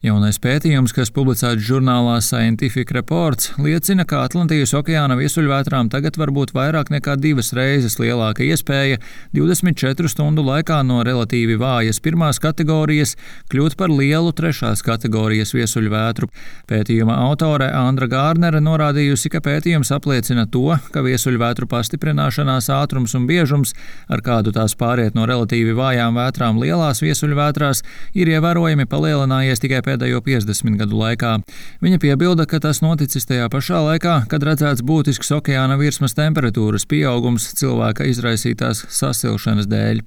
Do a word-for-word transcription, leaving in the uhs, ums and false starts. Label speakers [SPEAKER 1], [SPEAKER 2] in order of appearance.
[SPEAKER 1] Jaunais pētījums, kas publicēts žurnālā Scientific Reports, liecina, ka Atlantijas okeāna viesuļvētrām tagad var būt vairāk nekā divas reizes lielāka iespēja divdesmit četru stundu laikā no relatīvi vājas pirmās kategorijas kļūt par lielu trešās kategorijas viesuļvētru. Pētījuma autore Andra Gārnere norādījusi, ka pētījums apliecina to, ka viesuļvētru pastiprināšanās ātrums un biežums, ar kādu tās pāriet no relatīvi vājām vētrām lielās viesuļvētrās, ir ievērojami palielinājies tikai pēdējo piecdesmit gadu laikā. Viņa piebilda, ka tas noticis tajā pašā laikā, kad redzēts būtisks okeāna virsmas temperatūras pieaugums cilvēka izraisītās sasilšanas dēļ.